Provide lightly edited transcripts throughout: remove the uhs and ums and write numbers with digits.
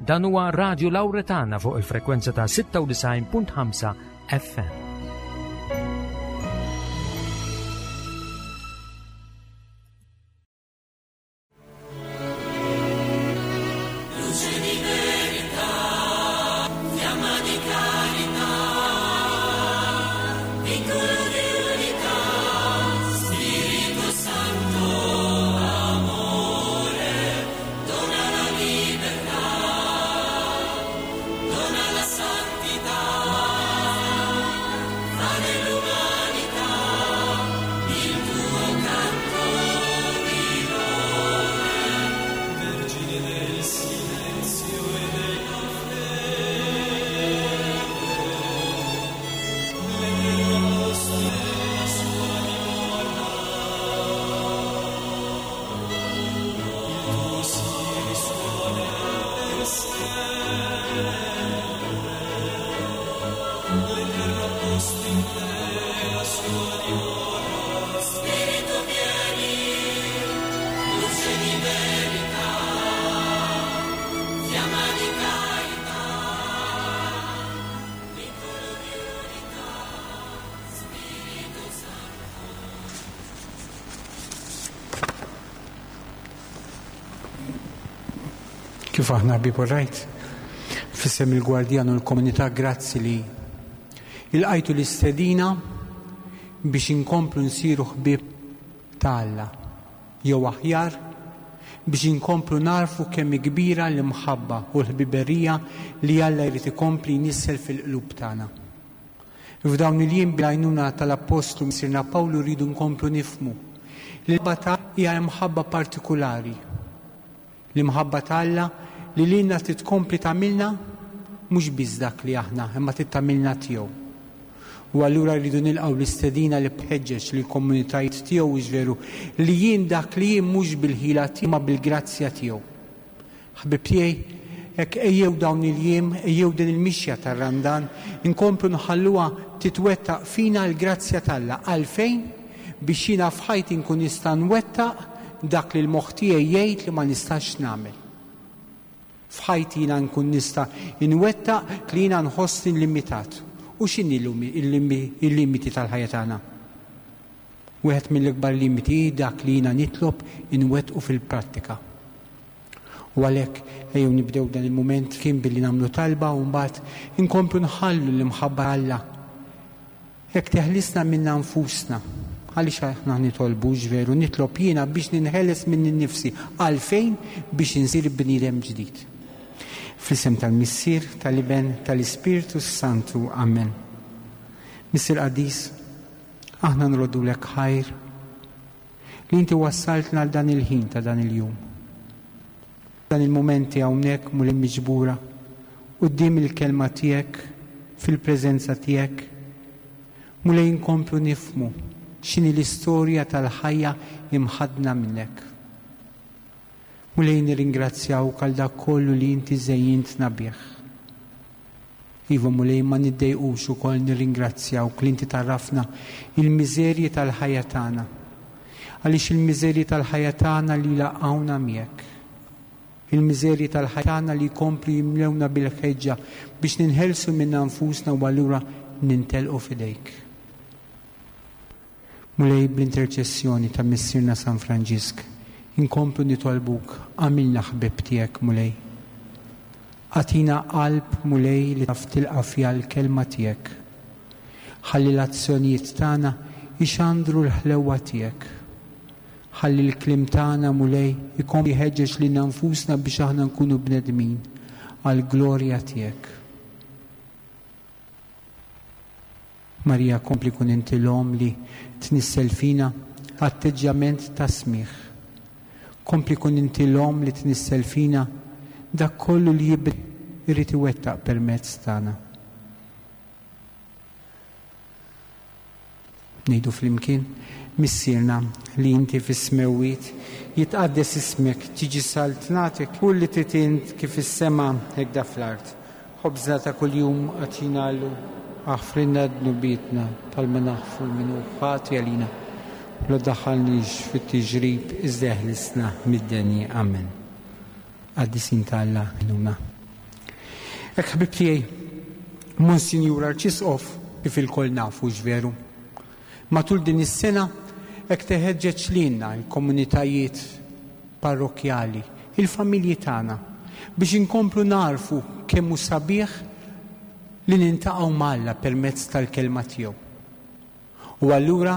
Dan huwa Radio Lauretana fuq il-frekwenza ta' 96.5 FM. Kif aħna ħbieb u rajt, f'isem il-Gwardjan u l-komunità grazzi li ilqajtu l-istedina biex inkomplu nsiru ħbieb ta' Alla, jew aħjar biex inkomplu nagħrfu kemm hi kbira l-imħabba u l-ħbiberija li Alla jrid ikompli jnissel fil-qlub tagħna. F'dawn il-jiem bl-għajnuna tal-Appostlu Missierna Pawlu rridu nkomplu nifhmu li l-imħabba ta' hija imħabba partikulari. L-imħabba ta' Alla li lilna trid tkompli tagħmilna mhux biss dak li aħna imma trid tagħmilna tiegħu. U allura rridu nilqgħu l-istedina li bħeġġeġ lill-komunitajiet tiegħu hux veru li jien dak li jien mhux bil-ħila tiegħi imma bil-grazzja tiegħu. Ħbieb tiegħi, hekk ejjew dawn il-jiem, ejjew din il-mixja tar-Randan, inkomplu nħalluha titwettaq fina l-grazzja t'Alla. Għalfejn? Biex jiena f'ħajti nkun nista' nwettaq dak li l-moħħ tiegħi jgħid li ma nistax nagħmel. F'ħajti jiena nkun nista' nwettaq li jiena nħossni limitat. U x'inhi l-limiti tal-ħajja tagħna? Wieħed mill-ikbar limiti hi dak li jiena nitlob inwettqu fil-prattika. U għalhekk ejjew nibdew dan il-mument kien billi nagħmlu talba u mbagħad inkomplu nħallu l-imħabba Alla. Hekk teħlisna minna nfusna. Għaliex aħna nitolbux veru, nitlob jiena biex ninħeles minni nnifsi. Għalfejn? Biex insir bniedem ġdid. Fl-isem tal-Missier, tal-Iben, tal-Ispirtu s-Santu. Amen. Missier Qaddis, aħna nroddulek ħajr li inti wassaltna għal dan il-ħin ta' dan il-jum. Dan il-mumenti hawnhekk Mulej miġbura quddiem il-kelma tiegħek fil-preżenza tiegħek. Mulej inkomplu nifhmu x'inhi l-istorja tal-ħajja imħaddna minnek. Mulej nirringrazzjawk għal dak kollu li inti żejjintna bih. Iva Mulej ma niddejqux ukoll nirringrazzjawk li inti tgħarrafna il-miżerji tal-ħajja tagħna. Għaliex il-miżerji tal-ħajja tagħna li jlaqqgħuna miegħek. Il-miżerji tal-ħajja tagħna li jkomplu jimlewna bil-ħeġġa biex ninħelsu minna nfusna u allura nintelqu f'idejk. Mulej bl-interċessjoni ta' Missierna San Franġisk, inkomplu nitolbuk agħmilna ħbieb tiegħek Mulej. Agħtina qalb Mulej li taf tilqa' fiha l-kelma tiegħek. Ħalli l-azzjonijiet tagħna jxandru l-ħlewwa tiegħek. Ħalli l-kliem tagħna Mulej ikompli jħeġġeġ lilna nfusna biex aħna nkunu bnedmin għall-glorja tiegħek. Marija kompli kun inti l-Omm li tnissel fina atteġġjament ta' smigħ. Kompli kun inti l-Omm li tnissel fina dak kollu li Ibnek irid iwettaq permezz tagħna. Ngħidu flimkien, Missierna li inti fis-smewwiet, jitqaddes ismek, tiġi saltnatek, kull li trid int kif fis-sema hekda fl-art. Ħobżna ta' kuljum agħtina llum, aħfrilna dnubietna bħalma naħfru 'l min hu ħati għalina, u la ddaħħalniex fit-tiġrib iżda eħlisna mid-deni. Amen. Qaddisin ta' Alla, għinuna. Hekk ħbieb tiegħi, Monsinjur Arċisqof, kif ilkoll nafu x'veru. Matul din is-sena hekk teħeġġeġ lilna l-komunitajiet parrokkjali, il-familji tagħna, biex inkomplu nagħrfu kemm hu sabiħ li niltaqgħu ma' Alla permezz tal-Kelma tiegħu. U allura,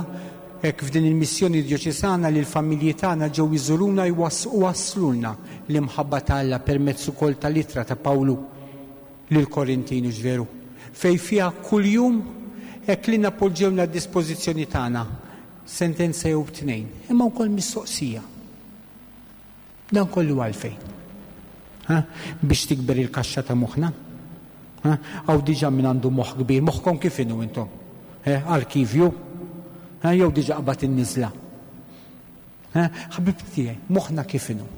hekk f'din il-missjoni djoċesana li l-familji tagħna ġew iżuruna u wasslulna l-imħabba ta' Alla permezz ukoll tal-ittra ta' Pawlu lill-Korintin, hux veru? Fejn fiha kuljum hekk lilna poġġewna għad-dispożizzjoni tagħna sentenza jew tnejn, imma wkoll mistoqsija. Dan kollu għalfejn? Ha? Biex tikber il-kaxxa ta' moħħna? Ha? Hawn diġà min għandu moħħ kbir, moħħkom kif inhu intom? Eh, arkivju? Ha? Jew diġà qbad in-niżla? Ha? Ħbib tiegħi, moħħna kif inhu?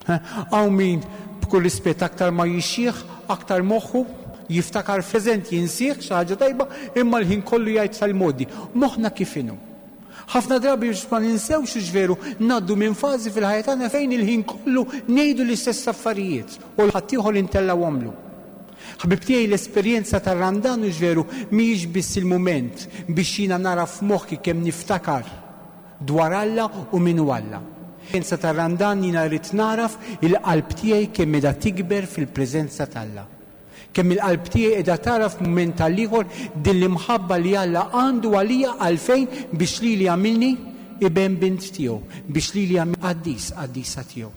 Ha? Hawn min b'kull rispett aktar ma jixjieħ, aktar moħħu jiftakar f'preżent jinsih xi ħaġa tajba, imma l-ħin kollu jgħid tal-modi. Moħħna kif inhu? Ħafna drabi biex ma ninsewx hux veru, ngħaddu minn fażi fil-ħajja tagħna fejn il-ħin kollu ngħidu l-istess affarijiet u 'l ħaddieħor intellgħuhomlu. Ħbieb tiegħi l-esperjenza tar-Randan hux veru mhijiex biss il-mument biex jiena nara f'moħħi kemm niftakar dwar Alla u min hu Alla. L-esperjenza tar-Randan jiena rrid nagħraf il-qalb tiegħi kemm qiegħda tikber fil-preżenza t'Alla. Kemm il-qalb tiegħi qiegħda tagħraf mument għall-ieħor din l-imħabba li Alla għandu għalija għalfejn biex lili għamilni iben bint tiegħu, biex lili għamilni qaddis qaddisa tiegħu.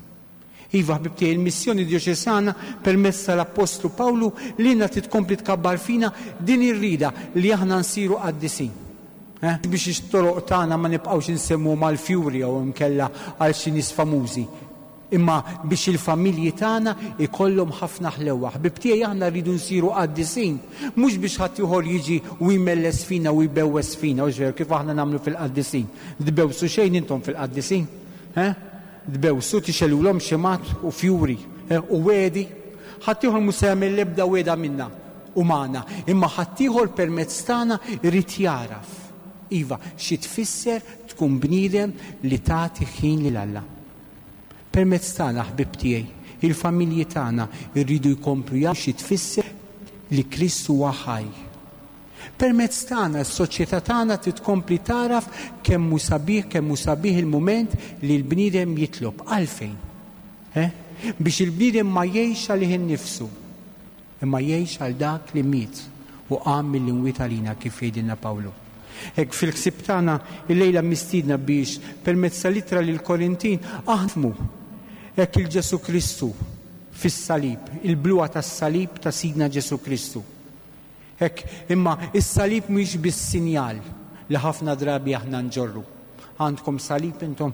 Iva, ħbieb tiegħi, il-missjoni djoċesana permezz tal-Appostlu Pawlu lilna trid tkompli tkabbar fina din ir-rieda li aħna nsiru qaddisin. Eh? Biex it-toroq tagħna ma nibqgħux insemmuhom għall-fjuri jew inkella għal xi nies famużi. Imma biex il-familji tagħna jkollhom ħafna ħlewwa. Ħbieb tiegħi aħna rridu nsiru qaddisin, mhux biex ħaddieħor jiġi u jmelles fina u jbewwes fina, hux veru, kif aħna nagħmlu fil-qaddisin. Tbewsu xejn intom fil-qaddisin? Eh? Tbewsu, tixgħelulhom xemgħat u fjuri, eh, u wegħdi. Ħaddieħor mhux se jagħmel l-ebda wegħda minna u magħna, imma ħaddieħor permezz tagħna jrid jagħraf, iva, xi tfisser tkun bniedem li tagħti ħin lil Alla. Permezz tagħna, ħbieb tiegħi, il-familji tagħna jridu jkomplu jagħrfu xi tfisser li Kristu huwa ħaj. Permezz tagħna, s-soċjetà tagħna trid tkompli tagħraf kemm hu sabiħ, kemm hu sabiħ il-mument li l-bniedem jitlob. Għalfejn? Eh? Biex il-bniedem ma jgħix għalih innifsu. Imma jgħix għal dak li miet u qam mill-imwiet għalina kif jgħidilna Pawlu. Hekk fil-ħsieb tagħna illejla mistiedna biex permezz tal-ittra lill-Korintin aħna nifhmu hekk il Ġesù Kristu fis-salib, il-bluha tas-salib ta' Sidna Ġesù Kristu. Hekk, imma is-salib mhuwiex biss sinjal li ħafna drabi aħna nġorru. Għandkom salib intom?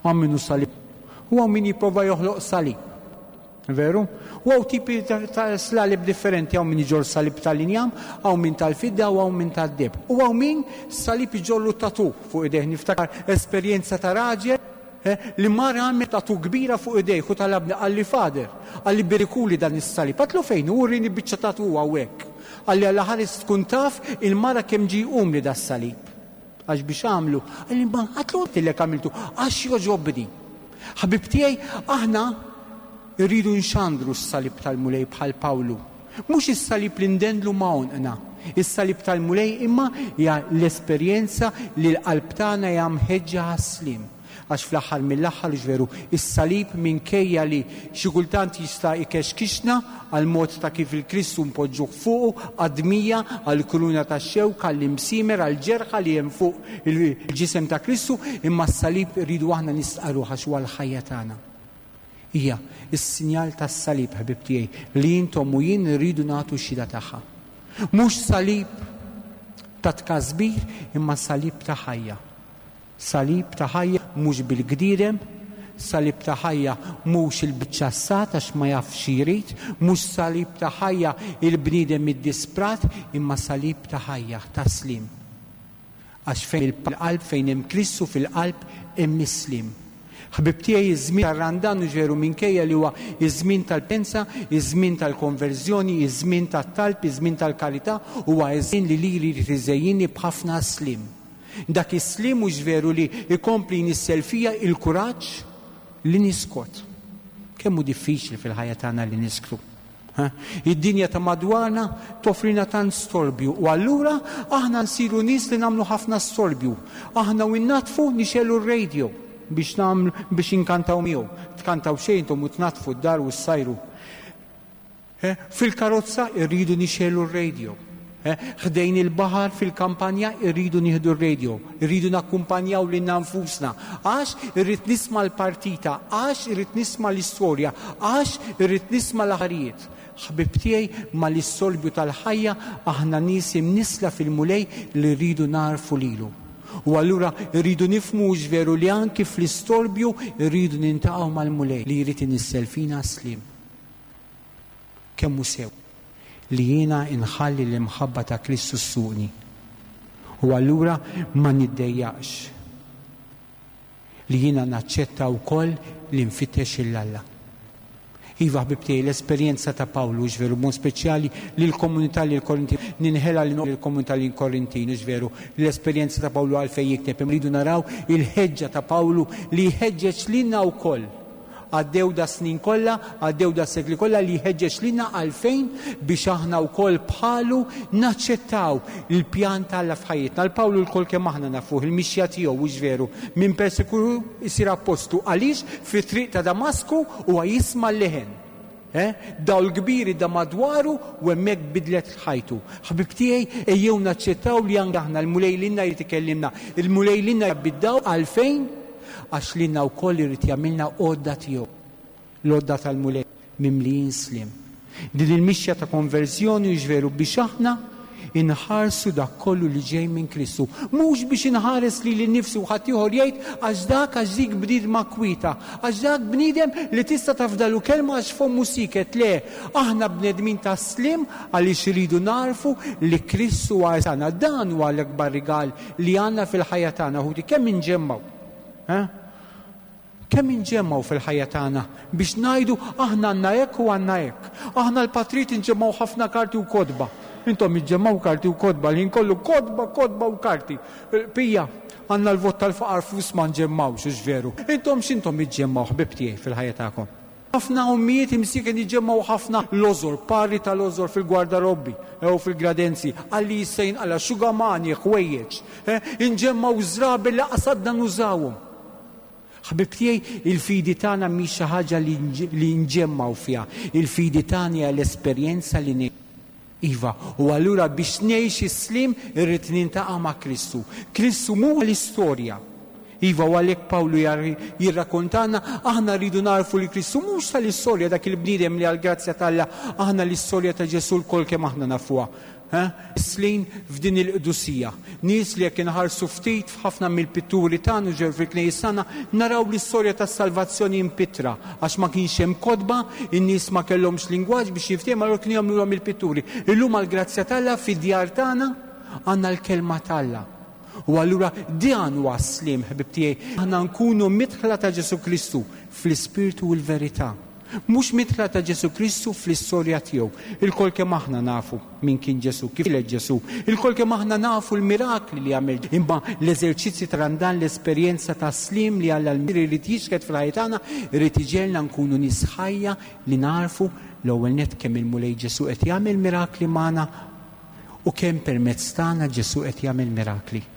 Hawn min hu salib. U hawn min jipprova joħloq salib. Veru? U hawn tipi ta' slalib differenti, hawn min iġorr salib tal-injam, hawn min tal-fidda u hawn min tad-deheb. U hawn min salib iġorru tatu fuq idejh. Niftakar esperjenza ta' raġel eh, li mar għamel tatu kbira fuq idejh u talabni qalli Father, qalli berikuli dan is-salib. Għatlu fejn hu rini biċċa tatu hawnhekk. Qalli Alla ħares tkun taf il-mara kemm ġie jqumli das-salib. Għax biex għamlu? Qalli ma għatlu għedtilek għamiltu għax jogħġobni. Ħbieb tiegħi, aħna rridu nxandru s-salib tal-Mulej bħal Pawlu. Mhux is-salib li ndendlu ma' għonqna. Is-salib tal-Mulej imma hija l-esperjenza li l-qalb tagħna hija mħeġġa għas-sliem. Għax fl-aħħar mill-aħħar, hux veru, is-salib minkejja li xi kultant jista' ikexkixna għall-mod ta' kif il-Kristu npoġġuh fuqu, għad-dmija, għall-kuruna tax-xewk, għall-imsiemer, għall-ġerħa li hemm fuq il-ġisem ta' Kristu, imma s-salib irridu aħna nistqarruh għax huwa l-ħajja tagħna. Hija s-sinjal tas-salib, ħbieb tiegħi, li intom u jien irridu nagħtu xhieda tagħha. Mhux salib ta' tkasbir imma salib ta' ħajja. Salib ta' ħajja mhux bil-gdierem, salib ta' ħajja mhux il-biċċa ssat għax ma jafx xi jrid, mhux salib ta' ħajja il-bniedem iddisprat, imma salib ta' ħajja, ta' sliem. Għax fejn il-qalb fejn hemm Kristu fil-qalb hemm is-sliem. Ħbieb tiegħi iż-żmien tar-Randan hux veru minkejja li huwa iż-żmien tal-pensa, iż-żmien tal-konverżjoni, iż-żmien tat-talb, iż-żmien tal-karità, huwa iż-żmien li lili jrid iżejjinni b'ħafna sliem. Dak is-sliem mhux veru li jkompli jnissel fija il-kuraġġ li niskot. Kemm hu diffiċli fil-ħajja tagħna li nisktu. Id-dinja ta' madwarna toffrina tant storbju u allura aħna nsiru nies li nagħmlu ħafna storbju. Aħna u nnaddfu nixegħlu r-radio biex nagħmlu biex inkantaw miegħu. Tkantaw xejn intom u tnaddfu d-dar u ssajru. Fil-karozza irridu nixegħlu r-radio. Ħdejn il-baħar fil-kampanja irridu nieħdu r-radio, irridu nakkumpanjaw lilna nfusna għax irrid nisma' l-partita, għax irrid nisma' l-istorja, għax irrid nisma' l-aħbarijiet. Ħbieb tiegħi, mal-istorbju tal-ħajja aħna nies imnissla fil-Mulej li rridu nagħrfu lilu. U allura rridu nifhmu hux veru li anki fl-istorbju rridu nintaqgħu mal-Mulej li jrid inissel fina s-sliem. Kemm hu sew li jiena nħalli l-imħabba ta' Kristu ssuqni u allura ma niddejjaqx li jiena naċċetta wkoll li nfittex 'il Alla. Iva, ħbieb tiegħi, l-esperjenza ta' Pawlu, hux veru, b'mod speċjali lill-komunità lill-Korintin, ninħela lill-komunità lill-Korintin, hux veru, l-esperjenza ta' Pawlu għalfejn jikteb, imma rridu naraw il-ħeġġa ta' Pawlu li jħeġġeġ lilna wkoll. Għaddew das-snin kollha, għaddew das-sekli kollha li jħeġġeġ lilna għalfejn biex aħna wkoll bħalu naċċettaw il-pjan t'Alla f'ħajjitna. Għal Pawlu lkoll kemm aħna nafuh il-mixja tiegħu, hux veru? Minn persekuru jsir appostlu. Għaliex? Fit-triq ta' Damasku huwa jisma' l-leħen. Eh? Dawl kbir idda madwaru u hemmhekk bidlet ħajtu. Ħbieb tiegħi, ejjew naċċettaw li anke aħna l-Mulej lilna jrid ikellimna. Il-Mulej lilna jgħabbi d-dawl għalfejn? Għax lilna wkoll irid jagħmilna għodda tiegħu. L-għodda tal-Mulej mimlijin sliem. Din il-mixja ta' konverżjoni hux veru biex aħna inħarsu dak kollu li ġej minn Kristu. Mhux biex inħares lili nnifsi u ħaddieħor jgħid għax dak għax dik bniedma kwieta, għax dak bniedem li tista' tafdalu kelma għax fommu sieket. Le, aħna bnedmin tas-sliem għaliex irridu nagħrfu li Kristu huwa tagħna. Dan huwa l-akbar rigal li għandna fil-ħajja tagħna, ħuti, kemm inġemmgħu. Eh? Kemm inġemmgħu fil-ħajja tagħna biex ngħidu aħna għandna hekk u għandna hekk. Aħna l-patrijiet inġemmgħu ħafna karti u kotba. Intom iġġemmgħu karti u kotba l-ħin kollu kotba, kotba u karti. Pija, għandna l-vot tal-faqar flus ma nġemmgħux, hux veru. Intom x'intom iġġemmgħu ħbieb tiegħi fil-ħajja tagħkom? Ħafna ommijiet imsieken iġemmgħu ħafna lożor, pari ta' lożor fil-gwardarobbi u fil-gradenzi, għal li jista' jinqala' xugamani, ħwejjeġ. Inġemmgħu żrabi li qasadna nużawhom. Ħbieb tiegħi, il-fidi tagħna mhix xi ħaġa li nġemmgħu fiha. Il-fidi tagħna hija l-esperjenza li ngħixu. Iva, u allura biex ngħix is-sliem irrid nintaqa' ma' Kristu. Kristu mhu l-istorja. Iva, u għalhekk Pawlu jirrakkontalna aħna rridu nagħrfu li Kristu mhux tal-istorja dak il-bniedem li għall-grazzja t'Alla aħna l-istorja ta' Ġesù lkoll kemm aħna nafuha. Snin f'din il-qdusija. Nies li jekk inħarsu ftit f'ħafna mill-pitturi tagħna u ġew fil-knejjes tagħna, naraw l-istorja tas-salvazzjoni mpittra, għax ma kienx hemm kotba, in-nies ma kellhomx lingwaġġ biex jiftehmu, allura kienu jagħmlulhom il-pitturi. Illum għall-grazzja t'Alla fid-djar tagħna għandna l-kelma t'Alla. U allura dan huwa s-sliem, ħbieb tiegħi, aħna nkunu midħla ta' Ġesù Kristu fl-ispirtu u l-verità. Mhux midħla ta' Ġesù Kristu fl-istorja tiegħu. Ilkoll kemm aħna nafu min kien Ġesù, kif twieled Ġesù. Ilkoll kemm aħna nafu l-mirakli li għamel. Imma l-eżerċizzji ta' Randan, l-esperjenza ta' sliem li Alla l-Missier irid jixhed fil-ħajja tagħna, irid iġegħelna nkunu nies ħajja li nagħrfu l-ewwel nett kemm il-Mulej Ġesù qed jagħmel mirakli magħna u kemm permezz tagħna Ġesù qed jagħmel mirakli.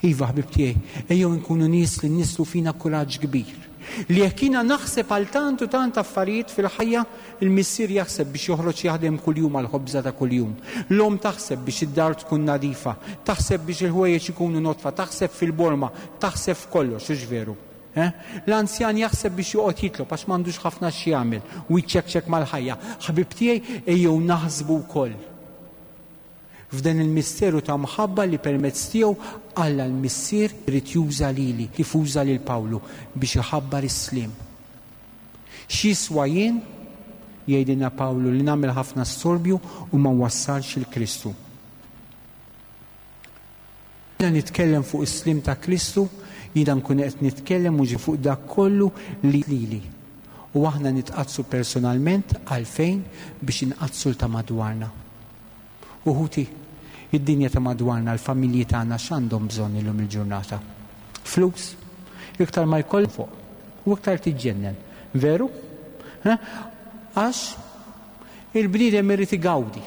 Iva, ħbieb tiegħi, ejjew inkunu nies li nnisslu fina kuraġġ kbir. Li jekk jiena naħseb għal tant u tant affarijiet fil-ħajja, il-missier jaħseb biex joħroġ jaħdem kuljum għall-ħobża ta' kuljum. L-omm taħseb biex id-dar tkun nadifa, taħseb biex il-ħwejjeġ ikunu nodfa, taħseb fil-borma, taħseb f'kollox, hux veru? Eh? L-anzjan jaħseb biex joqgħod jitlob għax m'għandux ħafna x'jagħmel u jċekċek mal-ħajja. Ħbieb tiegħi, ejjew naħsbu wkoll F'dan il-misteru ta' mħabba li permezz tiegħu Alla l-Missier irid juża lili, kif uża lil Pawlu, biex iħabbar is-sliem. X'jiswa jien, jgħidilna Pawlu, li nagħmel ħafna storbju u ma nwassalx 'il Kristu? Jiena nitkellem fuq is-sliem ta' Kristu, jiena nkun qed nitkellem mhux fuq dak kollu li lili. U aħna nitqaddsu personalment għalfejn biex inqaddsu 'l ta' madwarna. U ħuti, id-dinja ta' madwarna, l-familji tagħna x'għandhom bżonn illum il-ġurnata? Flus? Iktar ma jkollok fuq, u iktar tiġġennen. Veru? Għax? Il-bniedem irid igawdi.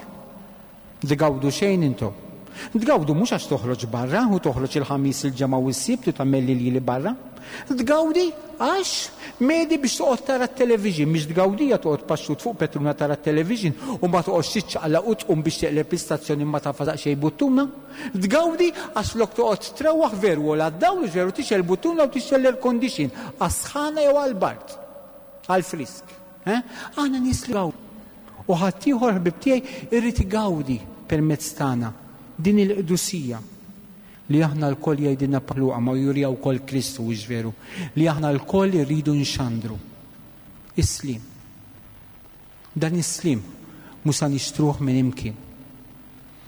Tgawdu xejn intom? Tgawdu mhux għax toħroġ barra u toħroġ il-Ħamis, il-Ġemgħa u s-Sibt u tagħmel l-iljieli barra. Tgawdi għax medi biex toqgħod tara t-television, mhix tgawdija toqgħod paxxut fuq petruna tara t-television u ma toqgħodx tiċċaqlaq u tqum biex teqleb l-istazzjon imma tagħfas daqsxejn buttuna. Tgawdi għax flok toqgħod trewwaħ veru għola d-dawl u veru tixgħel buttuna u tixgħel l-air condition għas-sħana jew għall-bard, għall-frisk. Eh? Aħna nies li gawdu. U ħaddieħor ħbib tiegħi irrid igawdi permezz tagħna din il-qdusija li aħna lkoll jgħidilna Luqa ma jurija wkoll Kristu hux veru li aħna lkoll irridu nxandru. Is-sliem. Dan is-sliem mhux sa nixtruh minn imkien.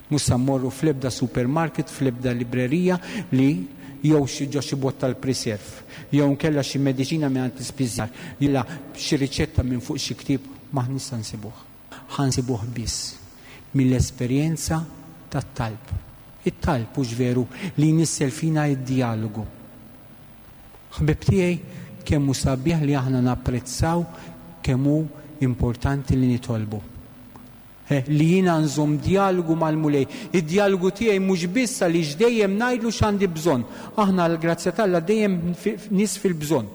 Mhux sa mmorru fl-ebda supermarket, fl-ebda librerija li jew xi ġo xi bott tal-preserve, jew inkella xi mediċina mingħand l-ispiżjar, jew xi riċetta minn fuq xi ktieb, m'aħniex sa nsibuh. Ħa nsibuh biss mill-esperjenza tat-talb. It-talb, hux veru, li jnissel fina d-djalogu. Ħbieb tiegħi, kemm hu sabiħ li aħna napprezzaw kemm hu importanti li nitolbu. Li jiena nżomm djalogu mal-Mulej. Id-djalogu tiegħi mhux biss għaliex dejjem ngħidlu x'għandi bżonn. Aħna għall-grazzja t'Alla dejjem nies fil-bżonn.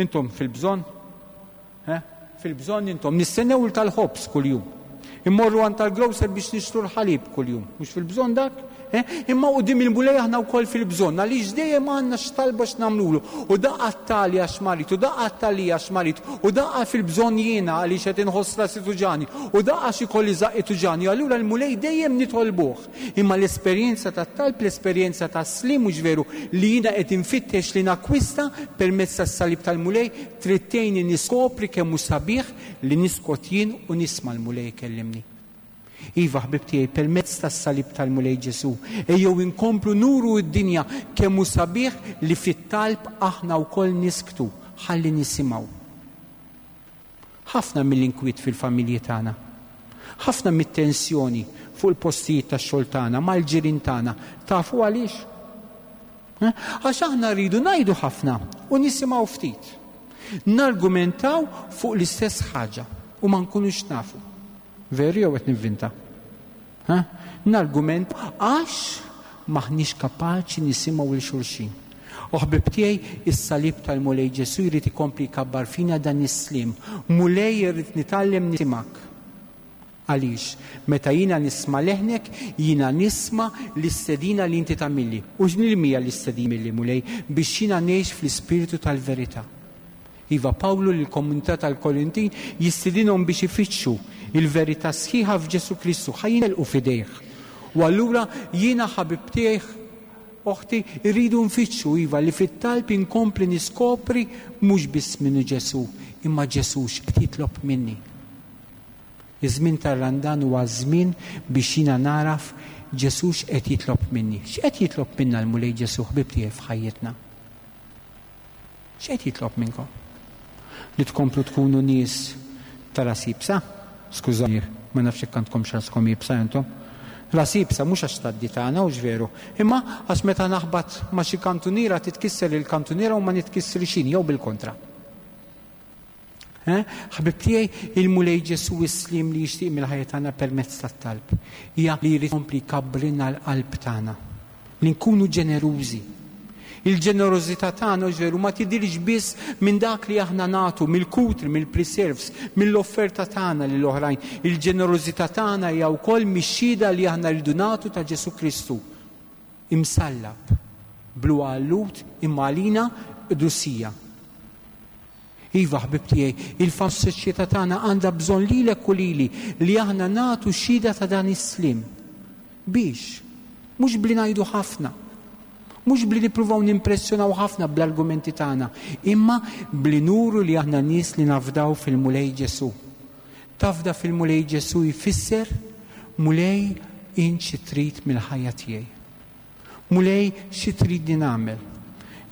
Intom fil-bżonn? Fil-bżonn intom. Nistennew il tal-ħobż kuljum. Immorru għand tal-grocer biex nixtru l-ħalib kuljum. Mhux fil-bżonn dak? Imma quddiem il-Mulej aħna wkoll fil-bżonn għaliex dejjem għandna x'talba x'nagħmlulu. U daqqa tali għax marid, u daqqa tali għax marid, u daqqa fil-bżonn jiena għaliex qed inħoss rasi tuġani, u daqqa xi kolli żaqqi tuġani. Allura l-Mulej dejjem nitolbuh. Imma l-esperjenza tat-talb, l-esperjenza tas-sliem mhux veru li jiena qed infittex li nakkwista permezz tas-salib tal-Mulej trid tgħinni niskopri kemm hu sabiħ li niskot jien u nisma' l-Mulej ikellimni. Iva, ħbieb tiegħi, permezz tas-salib tal-Mulej Ġesù, ejjew inkomplu nuru d-dinja kemm hu sabiħ li fit-talb aħna wkoll nisktu ħalli nisimgħu. Ħafna mill-inkwiet fil-familji tagħna, ħafna mit-tensjoni fuq il-postijiet tax-xogħol tagħna, mal-ġirien tagħna, tafu għaliex? Għax aħna rridu ngħidu ħafna u nisimgħu ftit. Nargumentaw fuq l-istess ħaġa u ma nkunux nafu. Veru jew qed nivvinta? Ha? Nargument għax m'aħniex kapaċi nisimgħu 'l xulxin. O ħbieb tiegħi, is-salib tal-Mulej Ġesù jrid ikompli jkabbar fina dan is-sliem. Mulej irrid nitgħallem nisimgħek. Għaliex, meta jiena nisma' leħnek, jiena nisma' l-istedina li inti tagħmilli. U x'nil hija l-istedina milli, Mulej? Biex jiena ngħix fl-ispirtu tal-verità. Iva, Pawlu lill-komunità tal-Korintin jistidinhom biex ifittxu il-verità sħiħa f'Ġesù Kristu, ħa jintelqu f'idejh. U allura jiena ħabib tiegħi, oħti, irridu nfittxu, iva, li fit-talb inkompli niskopri mhux biss min hu Ġesù, imma Ġesù x'qed jitlob minni. Iż-żmien tar-Randan huwa żmien biex jiena nagħraf Ġesù x'qed jitlob minni. X'qed jitlob minna l-Mulej Ġesù, ħbieb tiegħi, f'ħajjitna? X'qed jitlob minnkom? Li tkomplu tkunu nies ta' ras iebsa? Skużani, ma nafx jekk għandkomx raskom iebsa intom. Ras iebsa mhux għax tgħaddi tagħna, hux veru, imma għax meta naħbat ma' xi kantuniera titkisser il-kantuniera u ma nitkissrix jien jew bil-kontra. Ħbieb tiegħi, il-Mulej Ġesù s-sliem li jixtieq mill-ħajja tagħna permezz tat-talb hija li jrid ikompli jkabbrilna l-qalb tagħna, li nkunu ġenerużi. Il-ġenerożità tagħna hux veru ma tidhirx biss minn dak li aħna nagħtu, mill-kutri, mill-preserves, mill-offerta tagħna lil oħrajn. Il-ġenerożità tagħna hija wkoll mix-xhieda li aħna rridu nagħtu ta' Ġesù Kristu imsallab, bluha għal-Lhud imma għalina qdusija. Iva, ħbieb tiegħi, il-soċjetà tagħna għandha bżonn lilek u lili li aħna nagħtu xhieda ta' dan is-sliem. Biex? Mhux bli ngħidu ħafna. Mhux bli nippruvaw nimpressjonaw ħafna bl-argumenti tagħna, imma bli nuru li aħna nies li nafdaw fil-Mulej Ġesù. Tafda fil-Mulej Ġesù jfisser, Mulej, int xi trid mill-ħajja tiegħi. Mulej, xi tridni nagħmel?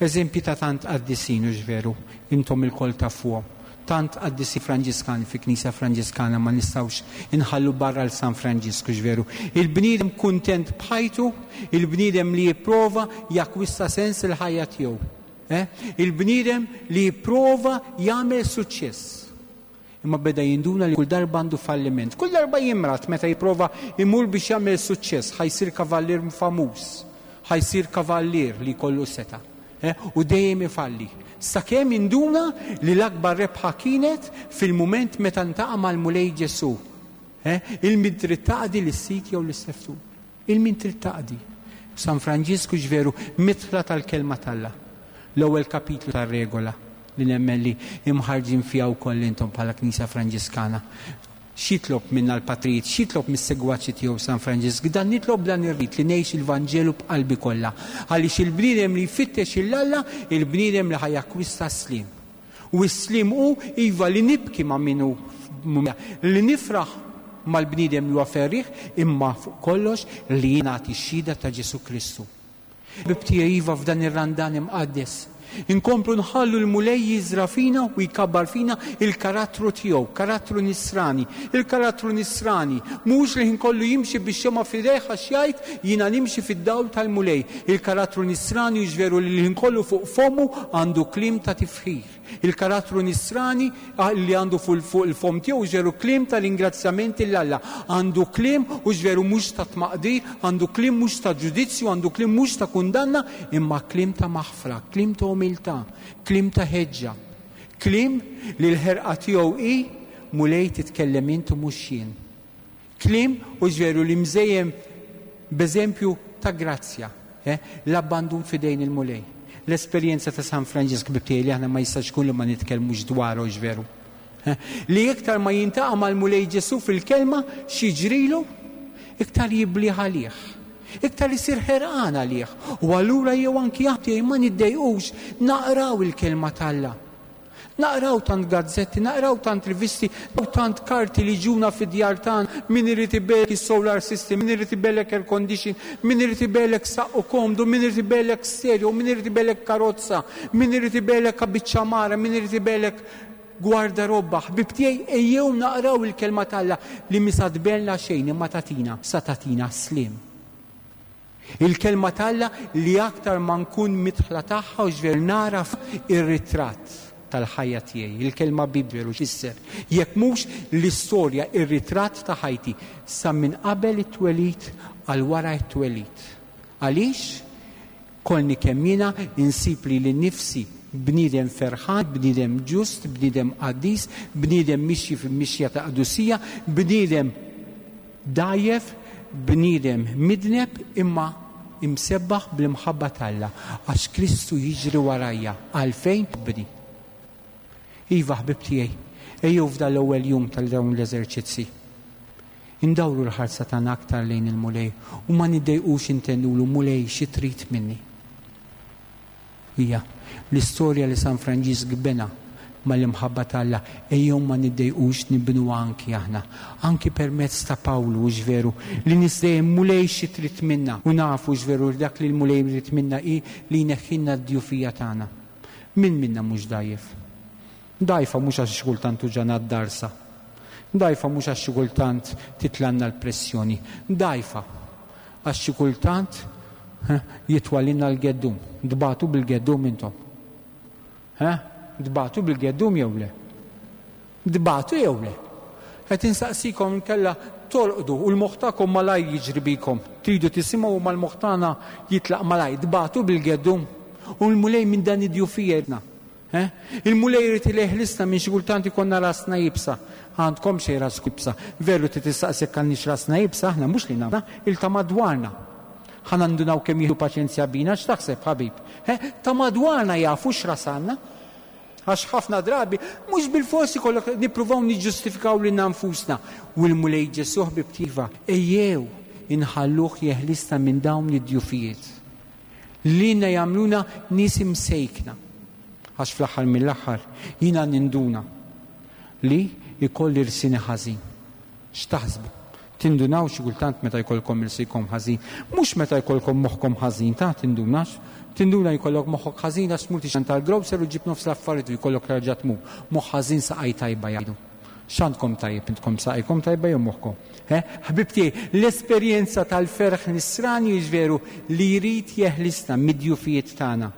Eżempji ta' tant qaddisin, hux veru? Intom ilkoll tafuhom. Tant qaddisin Franġiskani fi Knisja Franġiskana ma nistgħux inħallu barra 'l San Franġisk, hux veru? Il-bniedem kuntent b'ħajtu, il-bniedem li jipprova jakkwista sens il-ħajja tiegħu. Eh? Il-bniedem li jipprova jagħmel suċċess. Imma beda jinduna li kull darba għandu falliment. Kull darba jimrad meta jipprova imur biex jagħmel suċċess, ħa jsir kavallier famuż, ħa jsir kavallier li jkollu setgħa. Eh, u dejjem ifalli. Sakemm induna li l-akbar rebħa kienet fil-mument meta ntaqa' mal-Mulej Ġesù. Eh, il-min trid taqdi lis-sid jew lis-seftur. Il-min trid taqdi. San Franġisku ġveru midħla tal-kelma t'Alla. L-ewwel kapitlu tar-regola li nemmen li imħarġin fiha wkoll intom bħala Knisja Franġiskana. X'jitlob minna l-patrijiet, x'jitlob mis-segwaċi tiegħu San Franġisk? Dan nitlob dan ir-rit li ngħix il-Vanġelu b'qalbi kollha. Għaliex il-bniedem li jfittex 'il Alla, il-bniedem li ħa jakkwista s-sliem. U s-sliem hu, iva, li nibki ma' min hu li nifraħ mal-bniedem li huwa ferrieħ, imma fuq kollox li jien nagħti x-xhieda ta' Ġesù Kristu. Ħbieb tiegħi, iva, f'dan ir-Randan imqaddes, inkomplu nħallu l-Mulej jiżra' fina u jkabbar fina il-karattru tiegħu, karattru nisrani. Il-karattru nisrani mhux li ħin kollu jimxi bix-xemgħa f'idejh għax jgħid jiena nimxi fid-dawl tal-Mulej. Il-karattru nisrani hux veru li l-ħin kollu fuq fommu għandu kliem ta' tifħir. Il-karattru nisrani li għandu fuq il-fomm tiegħu hux veru kliem ta' ringrazzjament 'il Alla. Għandu kliem hux veru mhux ta' tmaqdir, għandu kliem mhux ta' ġudizzju, għandu kliem mhux ta' kundanna, imma kliem ta' maħfra, kliem ta' umiltà, kliem ta' ħeġġa. Kliem li l-ħerqa tiegħu hi, Mulej titkellem int u mhux jien. Kliem, hux veru, li mżejjen b'eżempju ta' grazzja, eh, l-abbandun f'idejn il-Mulej. L-esperjenza ta' San Franġisk ħbieb tiegħi li aħna ma jistax ikun li ma nitkellmux dwarha, hux veru? Eh, li iktar ma jintaqa' mal-Mulej Ġesù fil-kelma x'jiġrilu, iktar jiblih għalih. Iktar isir ħerqan għalih. U allura jew anki aħna tiegħi ma niddejqux naqraw il-kelma t'Alla. Naqraw tant gazzetti, naqraw tant rivisti, naqraw tant karti li ġuna fid-djar tagħna, min irid ibellek is-solar system, min irid ibellek air condition, min irid ibellek saqqu komdu, min irid ibellek stereo, min irid ibellek karozza, min irid ibellek biċċa mara, min irid ibellek gwardarobba. Ħbieb tiegħi, ejjew naqraw il-kelma t'Alla li mi sa tbellna xejn imma tagħtina, sa tagħtina sliem. Il-Kelma t'Alla li aktar ma nkun midħla tagħha u x'veru nagħraf ir-ritratt tal-ħajja tiegħi. Il-kelma Bibbja veru x'tfisser jekk mhux l-istorja, ir-ritratt ta' ħajti sa minn qabel it-twelid għal wara t-twelid. Għaliex? Kollni kemm jiena insib lili nnifsi bniedem ferħan, bniedem ġust, bniedem qaddis, bniedem mixi f'mixja ta' qdusija, bniedem dgħajjef, bniedem midneb imma imsebbaħ bl-imħabba t'Alla għax Kristu jiġri warajja. Għalfejn? Ħobbni. Iva ħbieb tiegħi, ejjew f'dan l-ewwel jum tal dawn l-eżerċizzi. Indawru l-ħarsa tagħna aktar lejn il-Mulej u ma niddejqux intennulu Mulej xi trid minni. Hija l-istorja li San Franġisk bena mal-imħabba t'Alla, ejjew ma niddejqux nibnuha anki aħna, anki permezz ta' Pawlu, hux veru, li nies dejjem Mulej xi trid minna, u nafu hux veru li dak li l-Mulej jrid minna hi li jneħħilna d-djufija tagħna. Min minna mhux dgħajjef? Dgħajfa mhux għax xi kultant tuġagħna d-darsa. Dgħajfa mhux għax xi kultant titlgħalna l-pressjoni. Dgħajfa għax xi kultant jitwalilna l-geddum. Tbatu bil-geddum intom? Ha? Tbatu bil-geddum jew le? Tbatu jew le? Qed insaqsikom inkella tolqdu u l-moħħ tagħkom malajr jiġri bikom. Tridu tisimgħu u mal-moħħ tagħna jitlaq malajr. Tbatu bil-geddum? U l-Mulej minn dan id-djufija jridna. Eh? Il-Mulej irid li jeħlisna minn xi kultant ikollna rasna iebsa. Għandkom xejn rasku iebsa. Veru trid tistaqsi jekk għandniex rasna iebsa, aħna mhux li nagħmlu, il ta' madwarna. Ħa nandunaw kemm jieħdu paċenzja bina, x'taħseb ħabib? Eh? Ta' madwarna jafu x'ras għandna. Għax ħafna drabi mhux bilfors ikollok nippruvaw niġġustifikaw lilna nfusna. U l-Mulej Ġesù ħbib tiegħi, ejjew inħalluh jeħlisna minn dawn id-djufijiet. Lilna jagħmluna nies imsejkna. Għax fl-aħħar mill-aħħar jiena ninduna li jkolli rsini ħażin. X'taħsbu? Tindunaw xi kultant meta jkollkom irsikom ħażin? Mhux meta jkollkom moħħkom ħażin, ta' tindunax. Tinduna jkollok moħħok ħażin għax tmur tixtri tal-grocer u ġġib nofs l-affarijiet u jkollok terġa' tmur. Moħħ ħażin saqaj tajba jgħidu. X'għandkom tajjeb intkom saqajkom tajba jew moħħkom? Eh, ħbieb tiegħi, l-esperjenza tal-ferħ nisrani hux veru li jrid jeħlisna mid-djufijiet tagħna.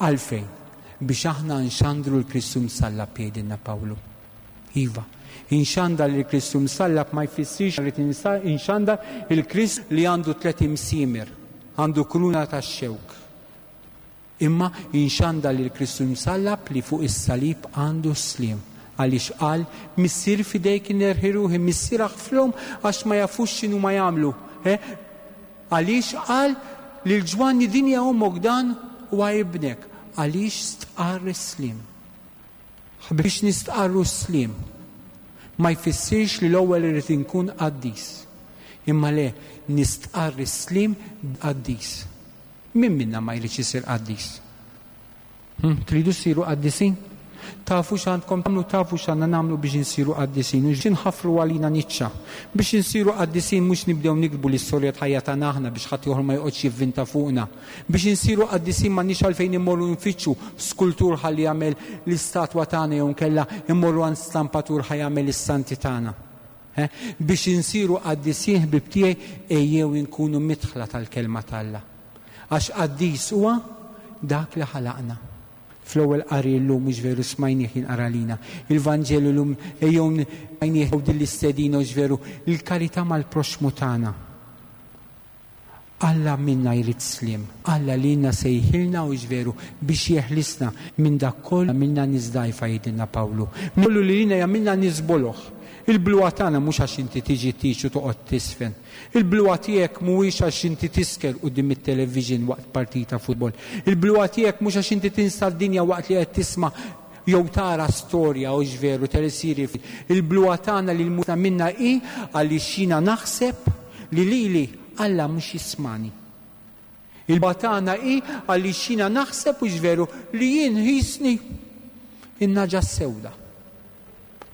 Għalfejn? Biex aħna nxandru l-Kristu msallab jgħidilna Pawlu. Iva, inxandar lil Kristu msallab ma jfissirx rrid inxandar il-Krist li għandu tlett imsiemer, għandu kruna tax-xewk. Imma inxandar lil Kristu msallab li fuq is-salib għandu s-sliem. Għaliex qal, Missier f'idejk innerħi ruħi, Missier aħfrhom għax ma jafux x'inhuma jagħmlu. Eh? Għaliex qal lil Ġwanni din hija ommok dan huwa ibnek. Għaliex stqarr is-sliem. Biex nistqarru s-sliem ma jfissirx li l-ewwel irrid inkun qaddis. Imma le, nistqarr is-sliem qaddis. Min minna ma jridx isir qaddis? Hm, tridu ssiru qaddisin? Tafu x'għandkom tagħmlu, tafu x'għandna nagħmlu biex insiru qaddisin, u x'inħaffru għalina niċċa. Biex insiru qaddisin mhux nibdew niktbu l-istorja ta' ħajja tagħna aħna biex ħadd ieħor ma joqgħodx jivvinta fuqna. Biex insiru qaddisin m'għandniex għalfejn immorru nfittxu skultur ħalli jagħmel l-istatwa tagħna jew inkella immorru għand stampatur ħa jagħmel is-santi tagħna. Eh? Biex insiru qaddisin ħbib tiegħi ejjew inkunu midħla tal-kelma t'Alla. Għax qaddis huwa dak li ħalaqna. Fl-ewwel qari llum mhux veru smajnieh jinqara lina. Il-Vanġelu llum ejjew smajnieh din l-istedina hux veru il-karità mal-proxxmu tagħna. Alla minna jrid sliem. Alla lilna sejħilna hux veru biex jeħlisna minn dak kollu jagħmilna nies dgħajfa jgħidilna Pawlu. Minn kollu li lilna jagħmilna nies boloh. Il-bluha tagħna mhux għax inti tiġi tgħix u toqgħod tiżfen. Il-bluha tiegħek mhuwiex għax inti tisker quddiem it-television waqt partita futbol. Il-bluha tiegħek mhux għax inti tinsa d-dinja waqt li qed tisma' jew tara storja hux veru telesiri. Il-bluha tagħna li l-mutna minna hi għaliex jiena naħseb li lili Alla mhux jismani. Il-bluha tagħna hi għaliex jiena naħseb hux veru li jien ħisni in-naġa s-sewda.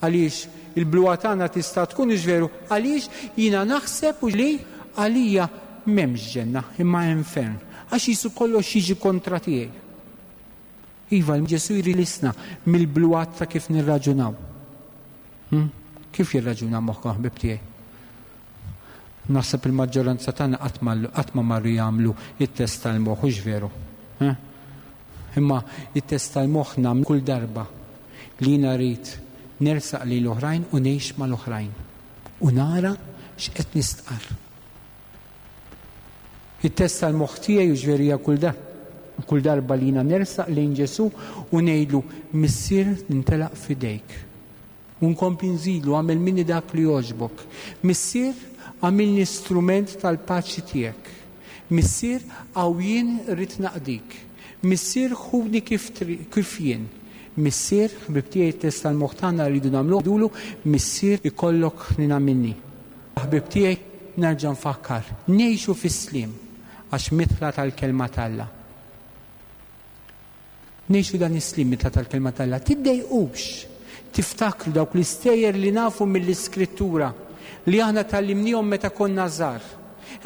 Għaliex il-bluha tagħna tista' tkun hux veru għaliex jiena naħseb li għalija m'hemmx ġenna imma infern għax qisu kollox jiġi kontra tiegħi. Iva, Ġesù jrilisna mill-bluhat ta' kif nirraġunaw. Hm? Kif jirraġuna moħħkom ħbib tiegħi? Naħseb il-maġġoranza tagħna qatt ma marru jagħmlu it-test tal-moħħ, hux veru? Eh? Imma it-test tal-moħħ nagħmlu kull darba li jiena rrid nersaq lejn l-oħrajn u ngħix mal-oħrajn u nara x'qed nistqarr. It-test tal-moħħ tiegħi hux veru hija kull kull darba li jiena nersaq lejn Ġesù u ngħidlu Missier nintelaq f'idejk. U nkompli nżidlu agħmel minni dak li jogħġbok. Missier agħmilni strument tal-paċi tiegħek. Missier hawn jien rrid naqdik. Missier ħuni kif kif jien. Missier, ħbieb tiegħi t-test tal-moħħ tagħna rridu nagħmluh ngħidulu Missier ikollok ħniena minni. Ħbieb tiegħi, nerġa' nfakkar, ngħixu fis-sliem għax midħla tal-kelma t'Alla. Ngħixu dan is-sliem midħla tal-kelma t'Alla. Tiddejqux tiftakru dawk l-istejjer li nafu mill-Iskrittura li aħna tgħallimniehom meta konna żgħar.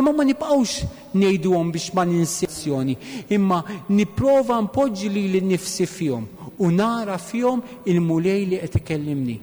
Imma ma nibqgħux ngħiduhom biex ma ninsewx, imma nipprova npoġġi lili nnifsi fihom u nara fihom il-Mulej li qed ikellimni.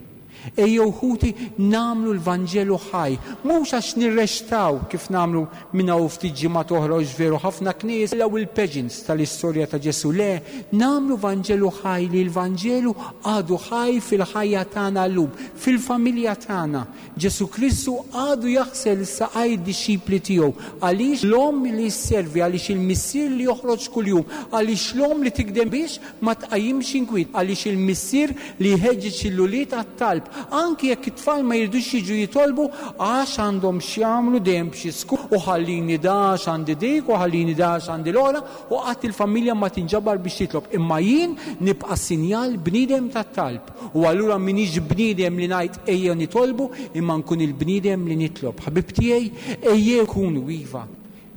Ejjew ħuti nagħmlu l-Vanġelu ħaj, mhux għax nirrextaw kif nagħmlu minn hawn ftit ġimgħat oħra hux veru ħafna knejjes tilgħu il-pageants tal-istorja ta' Ġesù, le, nagħmlu Vanġelu ħaj li l-Vanġelu għadu ħaj fil-ħajja tagħna llum, fil-familja tagħna. Ġesù Kristu għadu jaħsel saqaj id-dixxipli tiegħu. Għaliex l-omm li sservi, għaliex il-missier li joħroġ kuljum, għaliex l-omm li tikdem biex ma tqajjimx inkwiet, għaliex il-missier li jħeġġeġ lill-ulied għat-talb, anki jekk it-tfal ma jridux jiġu jitolbu għax għandhom x'jagħmlu dejjem b'xi skur u ħallini da għax għandi dik u ħallini da għax għandi l-oħra u qatt il-familja ma tinġabar biex titlob. Imma jien nibqa' sinjal bniedem tat-talb u allura m'iniex bniedem li ngħid ejjew nitolbu imma nkun il-bniedem li nitlob. Ħbieb tiegħi, ejjew nkunu iva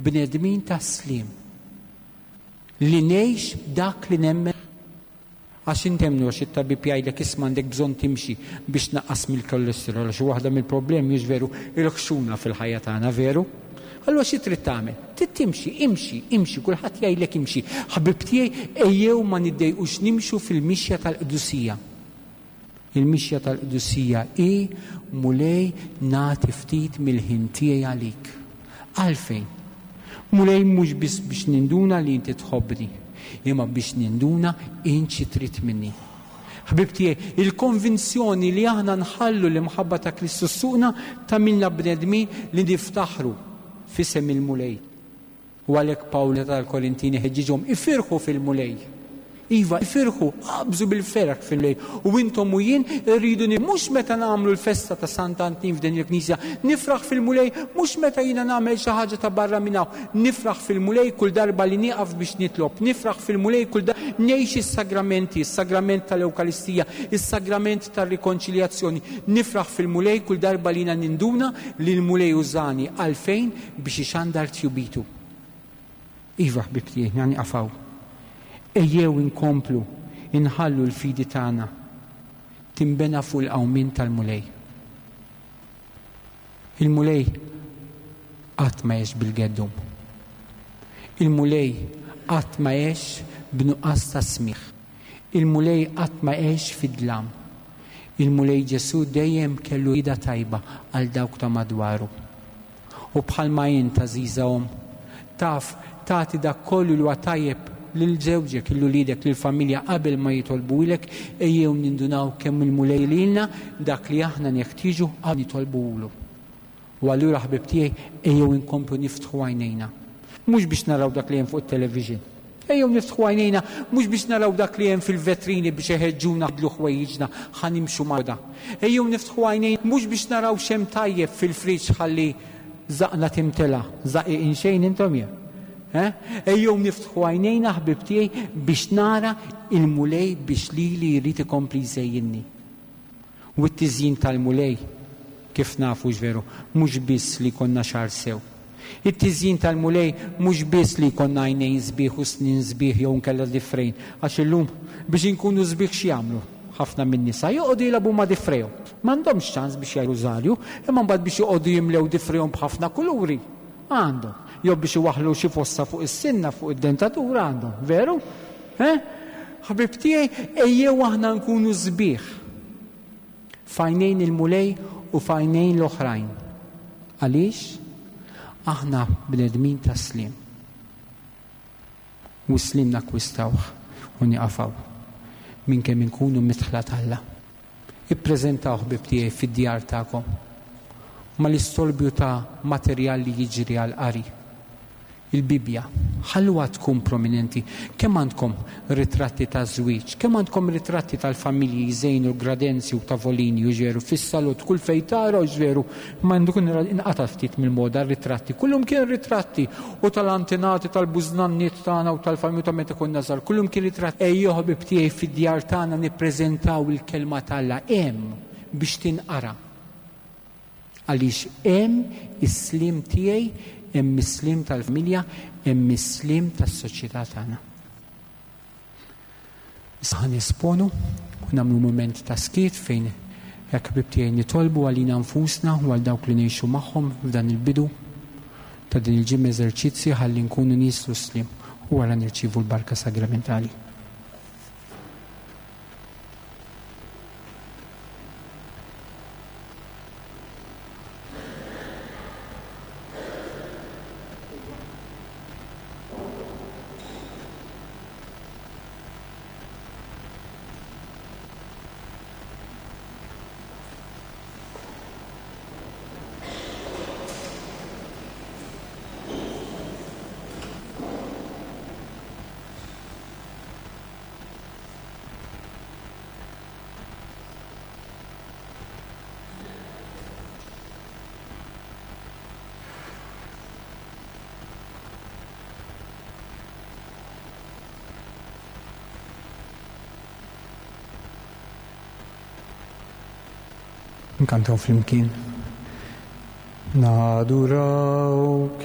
bnedmin tas-sliem. Li ngħix dak li nemmen. Għax int emmnu għax it-tabib jgħidlek isma' għandek bżonn timxi biex tnaqqas mill-kolesterol għax waħda mill-problemi hux veru il-ħxuna fil-ħajja tagħna veru? Allura xi trid tagħmel? Trid timxi, imxi, imxi, kulħadd jgħidlek imxi. Ħbieb tiegħi ejjew ma niddejqux nimxu fil-mixja tal-qdusija. Il-mixja tal-qdusija hi, Mulej, nagħti ftit mill-ħin tiegħi għalik. Għalfejn? Mulej, mhux biss biex ninduna li inti tħobbni, imma biex ninduna int xi trid minni. Ħbieb tiegħi, il-konvinzjoni li aħna nħallu l-imħabba ta' Kristu ssuqna tagħmilna bnedmin li niftaħru f'isem il-Mulej. U għalhekk Pawlu tal-Korintini ħeġġiġhom ifirħu fil-Mulej. Iva, ifirħu, aqbżu bil-ferħ fil-Mulej. U intom u jien irridu mhux meta nagħmlu l-festa ta' Sant'Antin f'din il-knisja, nifraħ fil-Mulej mhux meta jiena nagħmel xi ħaġa ta' barra minn hawn, nifraħ fil-Mulej kull darba li nieqaf biex nitlob, nifraħ fil-Mulej kull darba ngħix is-sagramenti, is-sagrament tal-Ewkaristija, is-sagrament tar-rikonċiljazzjoni, nifraħ fil-Mulej kull darba li jiena ninduna li l-Mulej użani għalfejn biex ixandar tjubitu. Iva, ħbieb tiegħi, ħa nieqaf hawn. Ejjew inkomplu inħallu l-fidi tagħna tinbena fuq il-qawmien tal-Mulej. Il-Mulej qatt ma għex bil-geddum. Il-Mulej qatt ma għex b'nuqqas ta' smigħ. Il-Mulej qatt ma għex fid-dlam. Il-Mulej Ġesù dejjem kellu rieda tajba għal dawk ta' madwaru. U bħalma int, għażiża omm, taf tagħti dak kollu li huwa tajjeb lil żewġek, lil uliedek, lill-familja qabel ma jitolbuhilek, ejjew nindunaw kemm il-Mulej lilna dak li aħna neħtieġu qabel nitolbuhulu. U allura ħbieb tiegħi, ejjew inkomplu niftħu għajnejna. Mhux biex naraw dak li hemm fuq it-television. Ejjew niftħu għajnejna mhux biex naraw dak li hemm fil-vetrini biex iħeġġuna nbidlu ħwejjiġna ħa nimxu mal-moda. Ejjew niftħu għajnejna mhux biex naraw x'hemm tajjeb fil-friġġ ħalli żaqna timtela, żaqiqin xejn intom jew? Eh? Ejjew niftħu għajnejna ħbieb tiegħi biex nara il-Mulej biex lili jrid ikompli jżejjinni. U t-tiżjin tal-Mulej, kif nafu hux veru, mhux biss li jkollna xagħar sew. It-tiżjin tal-Mulej mhux biss li jkollna għajnejn sbieħ u snien sbieħ jew inkella difrejn, għax illum biex inkunu sbieħ x'jagħmlu ħafna min-nisa? Joqogħdu jilagħbu ma' difrejhom. M'għandhomx ċans biex jgħidu rużarju, imma mbagħad biex joqogħdu jimlew difrejhom b'ħafna kuluri, għandhom. Jew biex iwaħħlu xi fossa fuq is-sinna, fuq id-dentatura għandhom. Veru? Eh? Ħbieb tiegħi, ejjew aħna nkunu sbieħ f'għajnejn il-Mulej u f'għajnejn l-oħrajn. Għaliex? Aħna bnedmin ta' sliem. U s-sliem nakkwistawh u nieqaf hawn minn kemm inkunu midħla t'Alla. Ippreżentaw ħbieb tiegħi fid-djar tagħkom mal-istorbju ta' materjal li jiġri għall-qari. Il-Bibbja, ħalluha tkun prominenti. Kemm għandkom ritratti taż-żwieġ, kemm għandkom ritratti tal-familji jżejnu l-gradenzi u tavolini u ġveru fis-salott kull fejn tara u ġveru ma dun inqata' ftit mill-moda r-ritratti. Kullum kien ritratti u tal-antenati tal-bużnanniet tagħna u tal-familji ta' meta konna żgħar. Kullum kien ritratti. Ejjew ħbieb tiegħi fid-djar tagħna nippreżentaw il-kelma t'Alla hemm biex tinqara. Għaliex hemm is-sliem tiegħi, hemm is-sliem tal-familja, hemm is-sliem tas-soċjetà tagħna. Issa ħa nesponu u nagħmlu mument ta' skiet fejn hekk ħbieb tiegħi nitolbu għalina nfusna u għal dawk li ngħixu magħhom f'dan il-bidu ta' din il-ġimgħa eżerċizzji ħalli nkunu nies l-sliem u wara nirċievu l-barka sagramentali. Nkantaw flimkien. Nadurawk,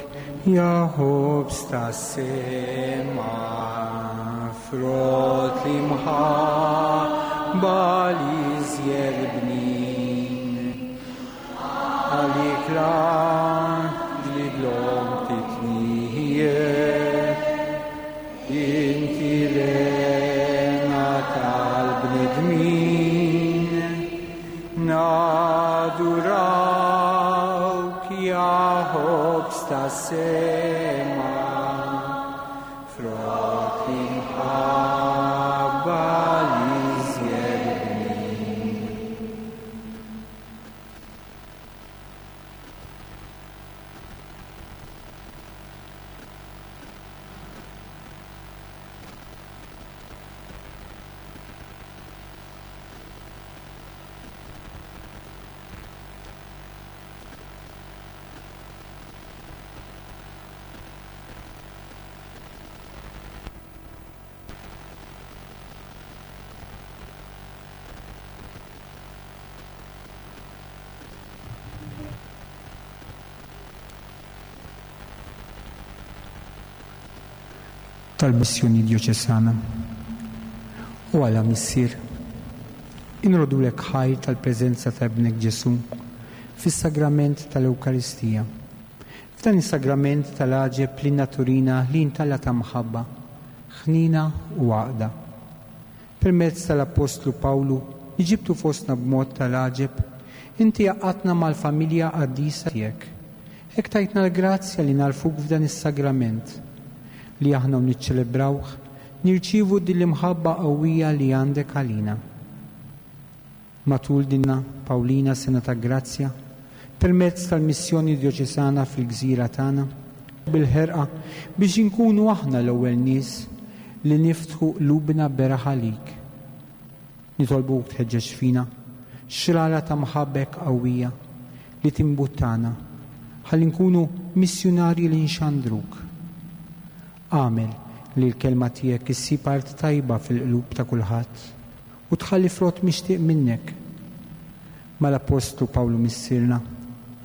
ja ħobż tas-sema, frott li mħabba li iżjed bnin. Għalik li dlom titnijiet, inti l-hena tal-bnedmin. Nadurawk, ja ħobż tas-sema, frott l-imħabba l-iżjed bnin. Tal-Missjoni Djoċesana. O Alla Missier, inrodulek ħajr tal-preżenza ta' Ibnek Ġesù fis-Sagrament tal-Ewkaristija. F'dan is-sagrament tal-għaġeb lilna turina li int Alla ta' mħabba, ħniena u għaqda. Permezz tal-Appostlu Pawlu li ġibtu fostna b'mod tal-għaġeb, inti għaqqadtna mal-familja qaddisa tiegħek. Hekk tajtna l-grazzja li nagħrfuk f'dan is-sagrament, li aħna u niċċelebrawh, nirċievu din l-imħabba qawwija li għandek għalina. Matul din Pawlina Sena ta' Grazzja, permezz tal-missjoni djoċesana fil-gżira tagħna, bil-ħerqa biex inkunu aħna l-ewwel nies li niftħu qlubna beraħ għalik. Nitolbuk tħeġġeġ fina xrara ta' mħabbek qawwija li timbuttana ħalli nkunu missjunarji li nxandruk. Agħmel li l-kelma tiegħek issib art tajba fil-qlub ta' kulħadd u tħalli frott mixtieq minnek. Mal-Appostlu Pawlu Missierna,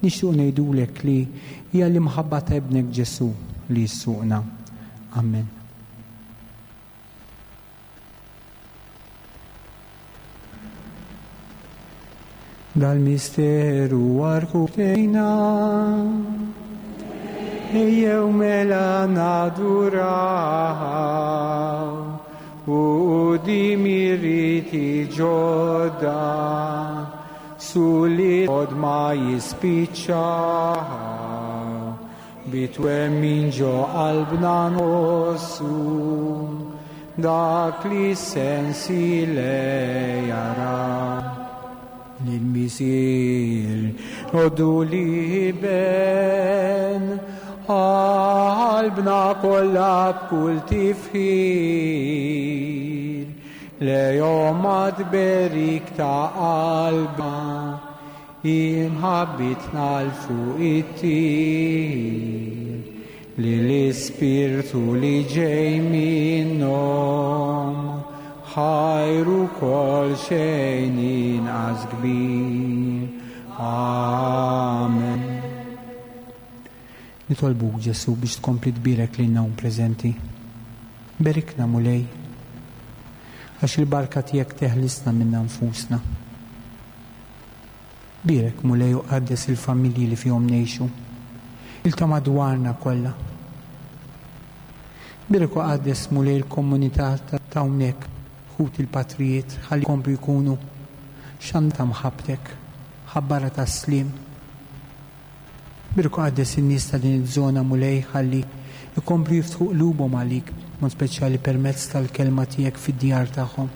nixtiequ ngħidulek li hija l-imħabba ta' Ibnek Ġesù li ssuqna. Amen. Dal-misteru għarkubtejna, ejjew mela naduraw u quddiem ir-riti ġodda sulli od ma jispiċċaw bi twemmin ġo qalbna nħossu dak li s-sensi le jaraw. Lill-Missier ngħoddu l-Iben, qalbna kollha b'kull tifħir, lejhom għat-tberik ta' qalbna, imħabbitna 'l fuq ittir, Lill-Ispirtu li ġej minnhom, ħajr ukoll xejn inqas kbir. Amen. Nitolbuk Ġesù biex tkompli tbierek lilna hawn preżenti. Berikna Mulej, għax il-barka tiegħek teħlisna minna nfusna. Bierek, Mulej, u qaddes il-familji li fihom ngħixu, il ta' madwarna kollha. Bierek u qaddes, Mulej, il-komunità ta' hawnhekk, ħuti l-patrijiet, ħalli jkomplu jkunu xandara ta' mħabbtek, ħabbara tas-sliem. Bierek u qaddes in-nies ta' din iż-żona, Mulej, ħalli jkomplu jiftħu qlubhom għalik, b'mod speċjali permezz tal-kelma tiegħek fid-djar tagħhom.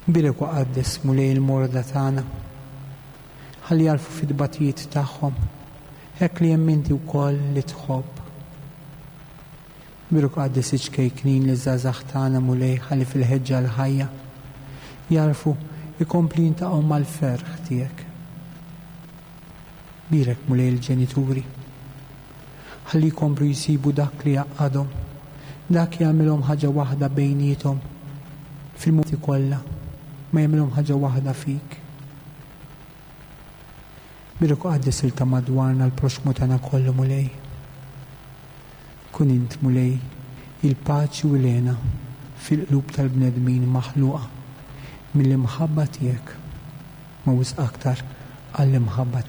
Bierek u qaddes, Mulej, il-morda tagħna. Ħalli jagħrfu fit-tbatijiet tagħhom, hekk li hemm inti wkoll li tħobb. Bierek u qaddes iċ-ċkejknin liż-żgħażagħ tagħna, Mulej, ħalli fil-ħeġġa l-ħajja jagħrfu jkomplu jintaqgħu mal-ferħ tiegħek. Bierek, Mulej, il-ġenituri. Ħalli jkomplu jsibu dak li jgħaqqadhom, dak li jagħmilhom ħaġa waħda bejniethom fil-mumenti kollha, ma jagħmilhom ħaġa waħda fik. Bierek u qaddes il ta' madwarna l-proxxmu tagħna kollu, Mulej. Kun int, Mulej, il-paċi u l-hena fil-qlub tal-bnedmin maħluqa mill-imħabba tiegħek, ma wisq aktar għall-imħabba.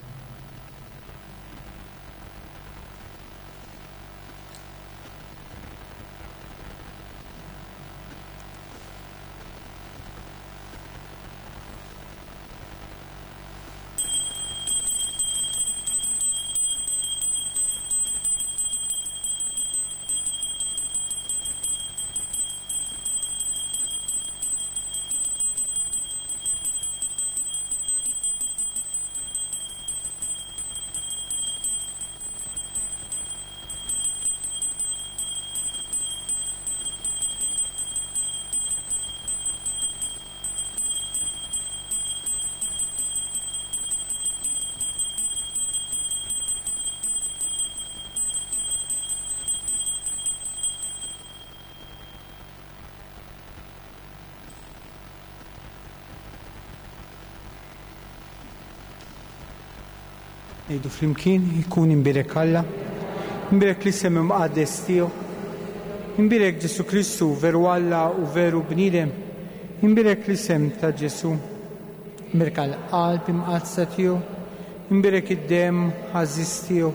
Ngħidu flimkien, ikun imbierek Alla, imbierek l-isem imqaddes tiegħu. Imbierek Ġesù Kristu, veru Alla u veru bniedem. Imbierek l-isem ta' Ġesù. Imbierka l-qalb imqaddsa tiegħu. Imbierek id-demm għażiż tiegħu.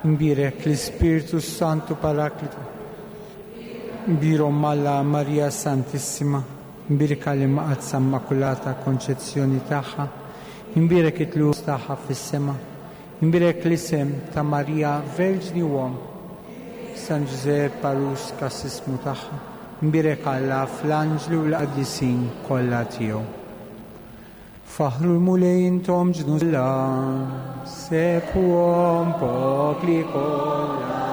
Imbierek l-Ispirtu s-Santu Paraklitu. Imbierek Omm Alla Marija Santissima. Imbierka l-Imqaddsa Immakulata Konċezzjoni tagħha. Imbierek it-tlugħ tagħha fis-sema. Imbierek l-isem ta' Marija Verġni u Omm. San Ġużepp għarus kassismu tagħha. Imbierek Alla fl-anġli u l-qaddisin kollha tiegħu. Faħħru l-Mulej intom ġnus kollha, sebħuhom popli kollha.